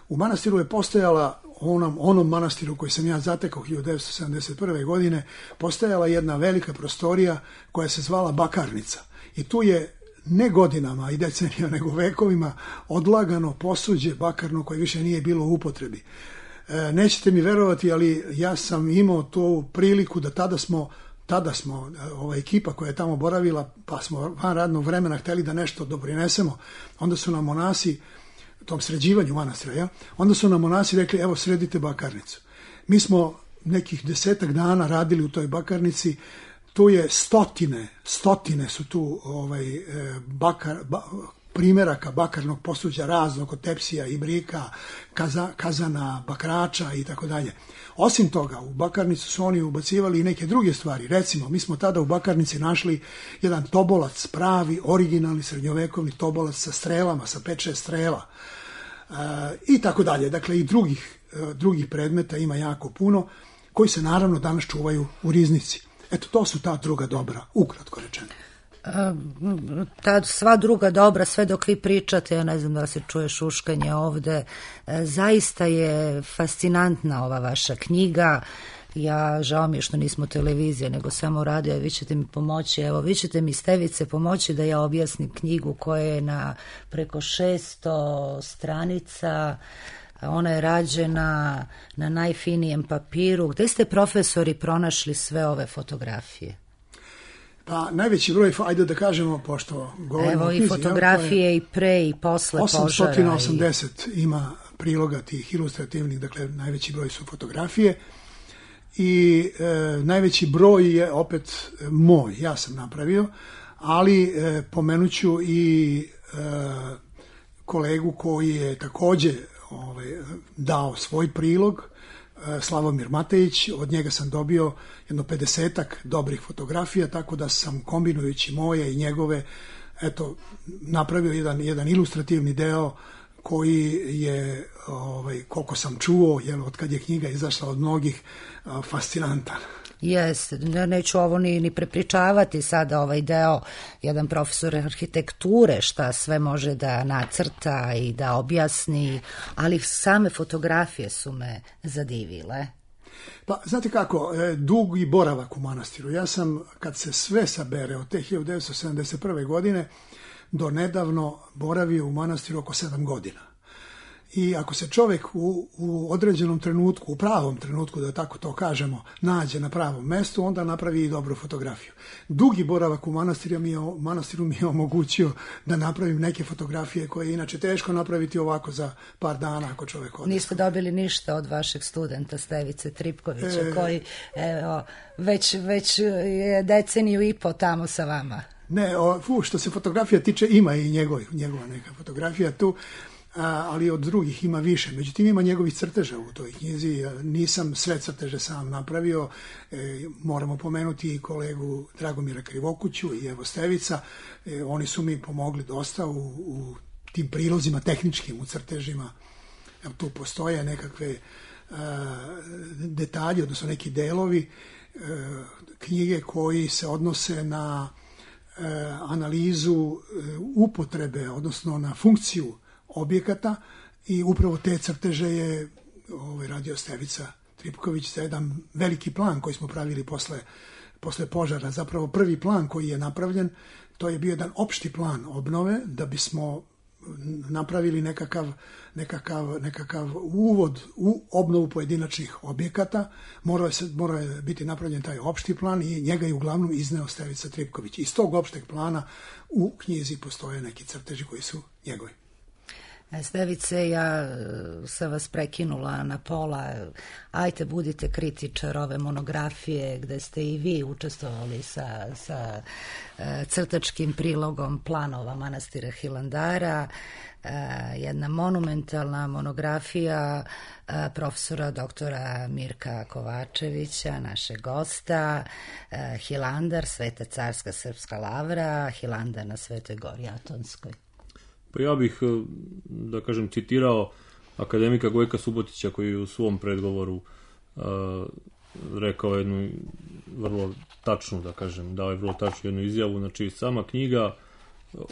U manastiru je postojala, onom, onom manastiru koji sam ja zatekao hiljadu devetsto sedamdeset prve. godine, postojala jedna velika prostorija koja se zvala bakarnica. I tu je ne godinama i decenijama, nego vekovima odlagano posuđe bakarno koje više nije bilo u upotrebi. E, nećete mi verovati, ali ja sam imao tu priliku da tada smo Tada smo, ova ekipa koja je tamo boravila, pa smo van radnog vremena hteli da nešto doprinesemo, onda su nam monasi, tom sređivanju manastira, ja, onda su nam monasi rekli, evo sredite bakarnicu. Mi smo nekih desetak dana radili u toj bakarnici, tu je stotine, stotine su tu ovaj, bakar, ba, primjeraka bakarnog posuđa raznog, od tepsija, ibrika, kaza, kazana, bakrača i tako dalje. Osim toga, u bakarnicu su oni ubacivali i neke druge stvari. Recimo, mi smo tada u bakarnici našli jedan tobolac, pravi, originalni srednjovekovni tobolac sa strelama, sa pet šest strela e, i tako dalje. Dakle, i drugih, e, drugih predmeta ima jako puno, koji se naravno danas čuvaju u riznici. Eto, to su ta druga dobra, ukratko rečeno. Ta sva druga dobra, sve dok vi pričate, ja ne znam da se čuje šuškanje ovde, zaista je fascinantna ova vaša knjiga. Ja, žao mi je što nismo televizija, nego samo radio, vi ćete mi pomoći, evo, vi ćete mi Stevice pomoći da ja objasnim knjigu koja je na preko šesto stranica, ona je rađena na najfinijem papiru. Gde ste, profesori, pronašli sve ove fotografije? Pa najveći broj, ajde da kažemo, pošto govorimo Evo o knjizi, i fotografije ja, i pre i posle požara. osamsto osamdeset i... ima priloga tih ilustrativnih, dakle najveći broj su fotografije. i e, najveći broj je opet moj, ja sam napravio, ali e, pomenuću i e, kolegu koji je takođe ovaj, dao svoj prilog, e, Slavomir Matejić, od njega sam dobio jedno pedesetak dobrih fotografija, tako da sam kombinujući moje i njegove, eto, napravio jedan, jedan ilustrativni deo koji je, ovaj, koliko sam čuo, jel, od kad je knjiga izašla od mnogih, fascinantan. Jeste, neću ovo ni, ni prepričavati sada ovaj deo, jedan profesor arhitekture šta sve može da nacrta i da objasni, ali same fotografije su me zadivile. Pa, znate kako, dugi boravak u manastiru. Ja sam, kad se sve sabere od te hiljadu devetsto sedamdeset prve. godine do nedavno boravio u manastiru oko sedam godina. I ako se čovjek u, u određenom trenutku, u pravom trenutku, da tako to kažemo, nađe na pravom mestu, onda napravi i dobru fotografiju. Dugi boravak u manastiru mi je, manastiru mi je omogućio da napravim neke fotografije koje je inače teško napraviti ovako za par dana ako čovjek odnosno. Niste dobili ništa od vašeg studenta Stevice Tripkovića, e... koji evo, već, već je deceniju i po tamo sa vama. Ne, o, fu, što se fotografija tiče, ima i njegov, njegova neka fotografija tu, a, ali od drugih ima više. Međutim, ima njegovih crteža u toj knjizi. Nisam sve crteže sam napravio. E, moramo pomenuti i kolegu Dragomira Krivokuću i evo Stevica. E, oni su mi pomogli dosta u, u tim prilozima tehničkim, u crtežima. Evo, tu postoje nekakve a, detalji, odnosno neki delovi a, knjige koji se odnose na analizu upotrebe, odnosno na funkciju objekata, i upravo te crteže je ovaj, radio Stevica Tripković za jedan veliki plan koji smo pravili posle, posle požara. Zapravo prvi plan koji je napravljen, to je bio jedan opšti plan obnove, da bismo napravili nekakav, nekakav, nekakav uvod u obnovu pojedinačnih objekata. Morao je, morao je biti napravljen taj opšti plan i njega je uglavnom izneo Stevica Tripković. Iz tog opšteg plana u knjizi postoje neki crteži koji su njegovi. Stevice, ja sam vas prekinula na pola. Ajte, budite kritičar ove monografije gde ste i vi učestvovali sa, sa crtačkim prilogom planova manastira Hilandara. Jedna monumentalna monografija profesora doktora Mirka Kovačevića, našeg gosta. Hilandar, Sveta carska srpska lavra, Hilandar na Svetoj gori Atonskoj. Pa ja bih, da kažem, citirao akademika Gojka Subotića, koji je u svom predgovoru uh, rekao jednu vrlo tačnu, da kažem, dao je vrlo tačnu jednu izjavu. Znači, sama knjiga,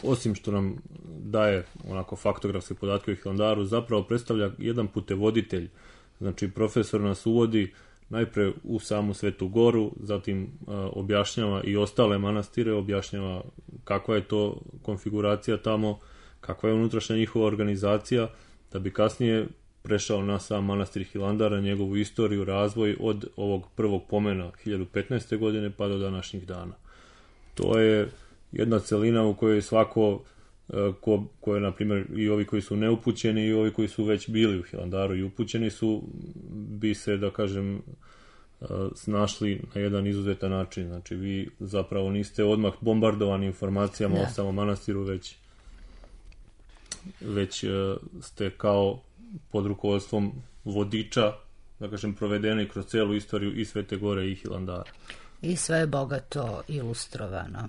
osim što nam daje onako faktografske podatke o Hilandaru, zapravo predstavlja jedan putevoditelj. Znači, profesor nas uvodi najpre u samu Svetu goru, zatim uh, objašnjava i ostale manastire, objašnjava kakva je to konfiguracija tamo, kakva je unutrašnja njihova organizacija, da bi kasnije prešao na sam manastir Hilandara, njegovu istoriju, razvoj od ovog prvog pomena hiljadu petnaeste. godine pa do današnjih dana. To je jedna celina u kojoj svako, ko, ko je, na primjer, i ovi koji su neupućeni i ovi koji su već bili u Hilandaru i upućeni su, bi se, da kažem, snašli na jedan izuzetan način. Znači, vi zapravo niste odmah bombardovani informacijama ne. o samom manastiru, već već ste kao pod rukovodstvom vodiča, da kažem, provedeni kroz celu istoriju i Svete gore i Hilandara. I sve je bogato ilustrovano.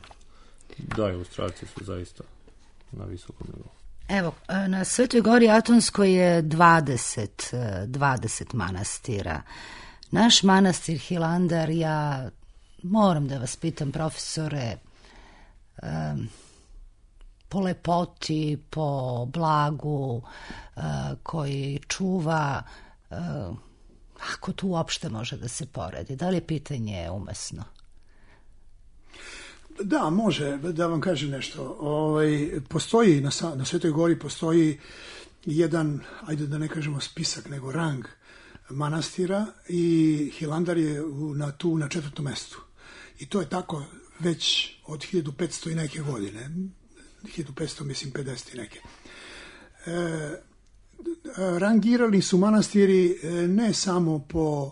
Da, ilustracije su zaista na visokom nivou. Evo, na Svetoj gori Atonskoj je dvadeset, dvadeset manastira. Naš manastir Hilandar, ja moram da vas pitam, profesore, um, po lepoti, po blagu uh, koji čuva, uh, ako tu uopšte može da se poredi. Da li je pitanje umesno? Da, može, da vam kažem nešto. Ovaj, postoji, na, na Svetoj gori postoji jedan, ajde da ne kažemo spisak, nego rang manastira, i Hilandar je u, na, tu na četvrtom mestu. I to je tako već od hiljadu petsto i neke godine. hiljadu petsto, mislim, pedeset i neke. E, rangirali su manastiri ne samo po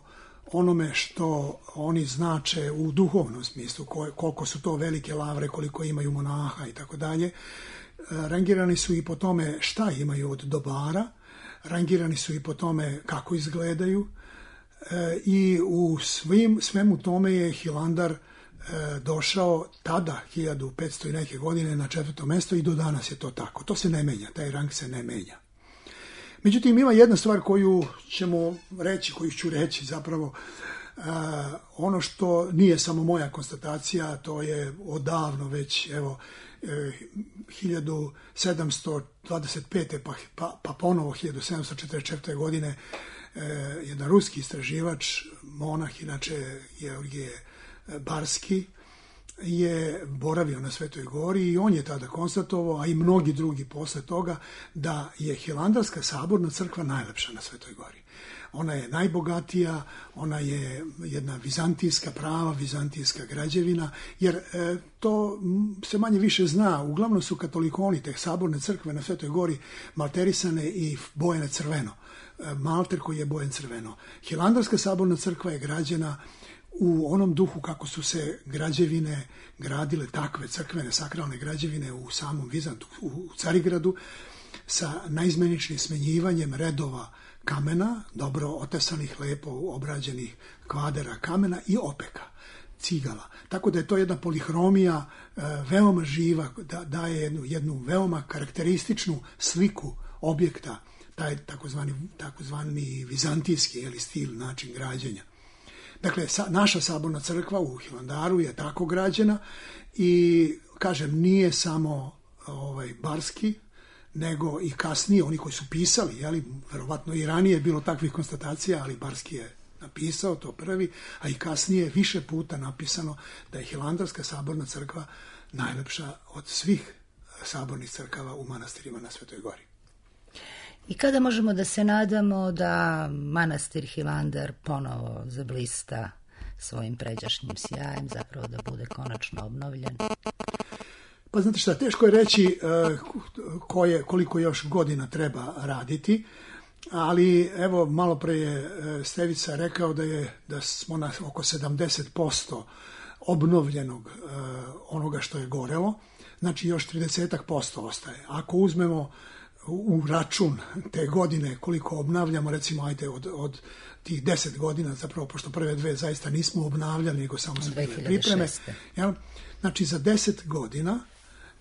onome što oni znače u duhovnom smislu, koliko su to velike lavre, koliko imaju monaha i tako dalje. Rangirani su i po tome šta imaju od dobara, rangirani su i po tome kako izgledaju i u svim, svemu tome je Hilandar došao tada, hiljadu petsto i neke godine, na četvrto mesto i do danas je to tako. To se ne menja, taj rang se ne menja. Međutim, ima jedna stvar koju ćemo reći, koju ću reći zapravo, uh, ono što nije samo moja konstatacija, to je odavno već, evo, hiljadu sedamsto dvadeset pete pa, pa, pa ponovo hiljadu sedamsto četrdeset četvrte godine uh, jedan ruski istraživač, monah, inače Georgije Barski, je boravio na Svetoj gori i on je tada konstatovao, a i mnogi drugi posle toga, da je Hilandarska saborna crkva najlepša na Svetoj gori. Ona je najbogatija, ona je jedna vizantijska prava, vizantijska građevina, jer e, to se manje više zna. Uglavnom su katolikoni te saborne crkve na Svetoj gori malterisane i bojene crveno. E, malter koji je bojen crveno. Hilandarska saborna crkva je građena u onom duhu kako su se građevine gradile, takve crkvene, sakralne građevine u samom Vizantu, u Carigradu, sa naizmeničnim smenjivanjem redova kamena, dobro otesanih, lepo obrađenih kvadera kamena i opeka, cigala. Tako da je to jedna polihromija veoma živa, da daje jednu, jednu veoma karakterističnu sliku objekta, taj takozvani, takozvani vizantijski ili stil, način građenja. Dakle, sa, naša saborna crkva u Hilandaru je tako građena i, kažem, nije samo ovaj, Barski, nego i kasnije, oni koji su pisali, jeli, verovatno i ranije je bilo takvih konstatacija, ali Barski je napisao to prvi, a i kasnije više puta napisano da je Hilandarska saborna crkva najlepša od svih sabornih crkava u manastirima na Svetoj gori. I kada možemo da se nadamo da manastir Hilandar ponovo zablista svojim pređašnjim sjajem, zapravo da bude konačno obnovljen? Pa znate šta, teško je reći koje, koliko još godina treba raditi, ali evo malo pre je Stevica rekao da, je, da smo na oko sedamdeset posto obnovljenog onoga što je gorelo, znači još trideset posto ostaje. Ako uzmemo u račun te godine koliko obnavljamo, recimo ajde od, od tih deset godina, zapravo pošto prve dve zaista nismo obnavljali, nego samo su bile pripreme. Ja, znači za deset godina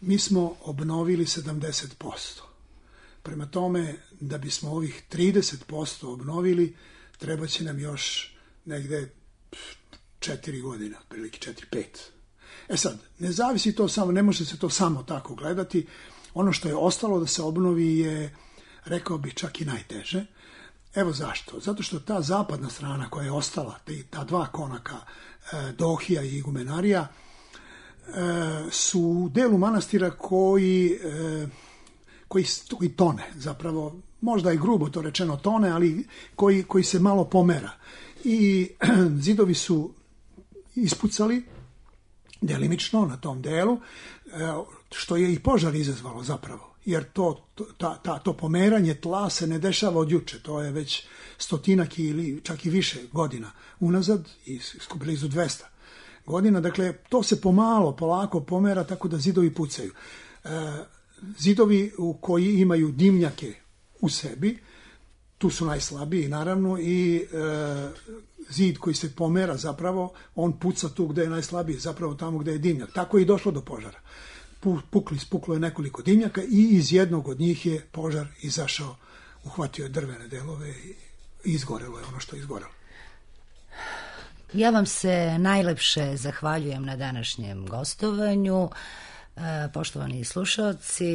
mi smo obnovili sedamdeset posto. Prema tome, da bismo ovih trideset posto obnovili, treba će nam još negde četiri godina, prilike četiri, pet. E sad, ne zavisi to samo, ne može se to samo tako gledati. Ono što je ostalo da se obnovi je, rekao bih, čak i najteže. Evo zašto. Zato što ta zapadna strana koja je ostala, ta dva konaka, Dohija i Igumenarija, su u delu manastira koji, koji, koji tone, zapravo, možda i grubo to rečeno tone, ali koji, koji se malo pomera. I zidovi su ispucali delimično na tom delu, što je i požar izazvalo zapravo, jer to, ta, ta, to pomeranje tla se ne dešava od juče, to je već stotinak ili čak i više godina unazad, i blizu dvesta godina, dakle to se pomalo, polako pomera tako da zidovi pucaju. E, zidovi u koji imaju dimnjake u sebi, tu su najslabiji naravno i e, zid koji se pomera zapravo, on puca tu gde je najslabiji, zapravo tamo gde je dimnjak. Tako je i došlo do požara. Pukli, spuklo je nekoliko dimnjaka i iz jednog od njih je požar izašao, uhvatio je drvene delove i izgorelo je ono što je izgorelo. Ja vam se najlepše zahvaljujem na današnjem gostovanju. Poštovani slušalci,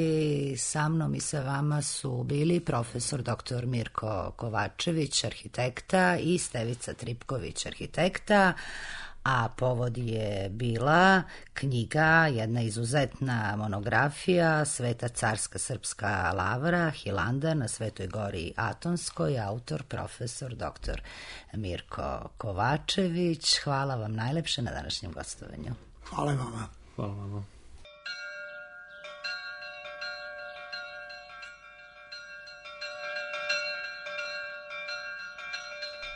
sa mnom i sa vama su bili profesor doktor Mirko Kovačević, arhitekta, i Stevica Tripković, arhitekta, a povod je bila knjiga, jedna izuzetna monografija, Sveta carska srpska lavra, Hilandar na Svetoj gori Atonskoj, autor profesor doktor Mirko Kovačević. Hvala vam najlepše na današnjem gostovanju. Hvala vama. Hvala vama.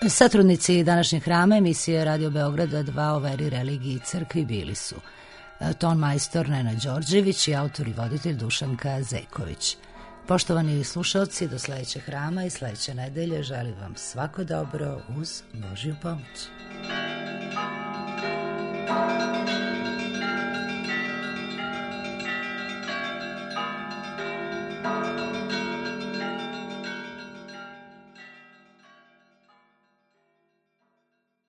Satrudnici današnjeg hrama emisije Radio Beograda dva o veri, religiji i crkvi bili su ton majstor Nenad Đorđević i autor i voditelj Dušanka Zeković. Poštovani slušalci, do sledećeg hrama i sledeće nedelje želim vam svako dobro uz Božju pomoć.